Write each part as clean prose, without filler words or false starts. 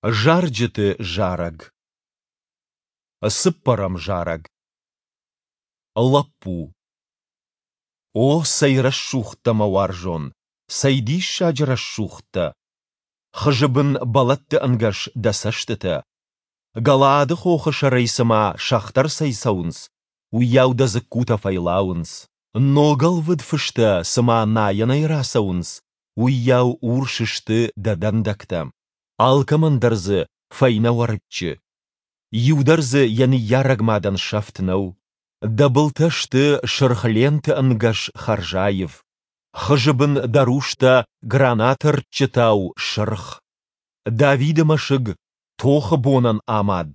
Зарджыты зарӕг. Цыппӕрӕм зарӕг. Лӕппу. О, цӕй рӕсугъд дӕ, мӕ уарзон, цӕй диссаджы рӕсугъд дӕ! Хызы бын бӕлӕтты ӕнгӕс дӕ цӕстытӕ. Галаады хохы сӕрӕй цыма сӕгътӕ рцӕйцӕуынц, уыйау дӕ дзыккутӕ фӕйлауынц. Ногӕлвыд фыстӕ цыма найӕнӕй рацӕуынц, уыйау урс сты дӕ дӕндӕгтӕ. Алкӕмӕн дӕр дзы фӕйнӕ уӕрыччы. Иу дӕр дзы йӕ ныййарӕг мадӕн сӕфт нӕу. Дӕ былтӕ сты сырх ленты ӕнгӕс хӕрзаив. Хызы бын дӕ рустӕ гранаты рдджытау сырх. Давиды мӕсыг тохы бонӕн амад,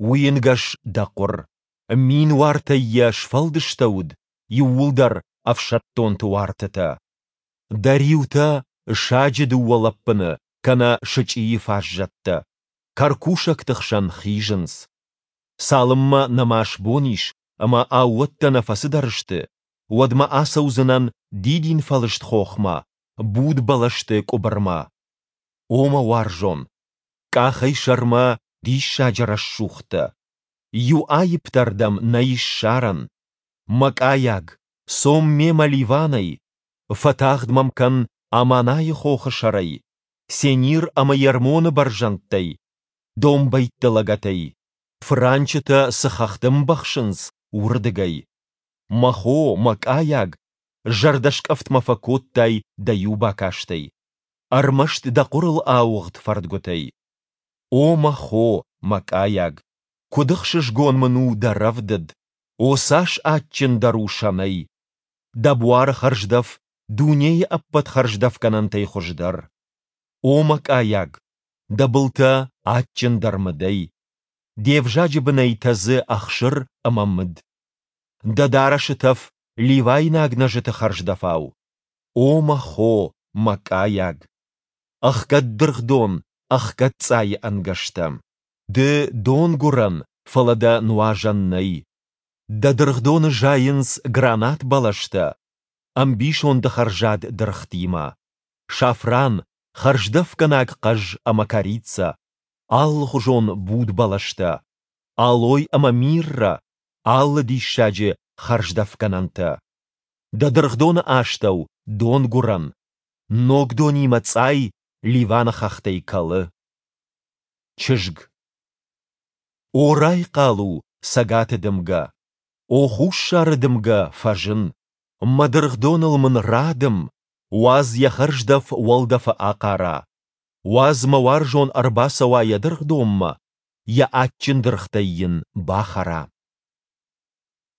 уый ӕнгӕс дӕ хъуыр. Мин уартӕй йӕ сфӕлдыстӕуыд, иууылдӕр ӕфсӕддонты уартытӕ. Дӕ риутӕ саджы дыууӕ лӕппыны кӕнӕ сычъийы фаззӕттӕ, кӕркусӕгты хсӕн хизынц. Цалынмӕ нӕма сбон ис ӕмӕ аууӕттӕ нӕ фӕцыдӕр сты, уӕдмӕ ацӕудзынӕн дидинфӕлыст хохмӕ, буд бӕлӕсты къуыбырмӕ. О мӕ уарзон, къахӕй сӕрмӕ диссаджы рӕсугъд дӕ. Иу аипп дӕр дӕм нӕй ссарӕн. Мӕ къайаг, цом мемӕ Ливанӕй, фӕтагъд мӕм кӕн Аманайы хохы сӕрӕй, Сенир ӕмӕ Ермоны бӕрзӕндтӕй, домбӕйтты лӕгӕтӕй, фыранчытӕ цы хӕхты мбӕхсынц, уырдыгӕй. Мӕ хо, мӕ къайаг, зӕрдӕскъӕфт мӕ фӕкодтай дӕ иу бакастӕй, ӕрмӕст дӕ хъуырыл ауыгъд фӕрдгуытӕй. О мӕ хо, мӕ къайаг, куыд ӕхсызгон мын у дӕ рӕвдыд, о цас адджындӕр у сӕнӕй! Дӕ буары хӕрздӕф дунейы ӕппӕт хӕрздӕфгӕнӕнтӕй хуыздӕр. О мӕ къайаг, дӕ былтӕ адджындӕр мыдӕй, де взаджы бынӕй тӕдзы ӕхсыр ӕмӕ мыд. Дӕ дарӕсы тӕф ливайнаг нӕзыты хӕрздӕфау. О мӕ хо, мӕ къайаг! Ӕхгӕд дыргъдон, ӕхгӕд цъайы ӕнгӕстӕ. Ды донгуырӕн, фӕлӕ дӕ нуазӕн нӕй. Дӕ дыргъдоны зайынц гранат бӕлӕстӕ, ӕмбисонды хӕрзад дыргътимӕ. Сафран, хӕрздӕфгӕнаг хъӕз ӕмӕ корицӕ, алыхуызон буд бӕлӕстӕ, алой ӕмӕ миррӕ, алы диссаджы хӕрздӕфгӕнӕнтӕ. Дӕ дыргъдоны астӕу донгуырӕн, ног донимӕ цъай Ливаны хӕхтӕй кӕлы. Чызг. О, райхъал у, цӕгаты дымгӕ! О, хуссары дымгӕ, фӕзын! Мӕ дыргъдоныл мын радым, уадз йӕ хӕрздӕф уӕлдӕфы ахъара. Уадз мӕ уарзон ӕрбацӕуа йӕ дыргъдонмӕ, йӕ адджын дыргътӕй йын бахӕра.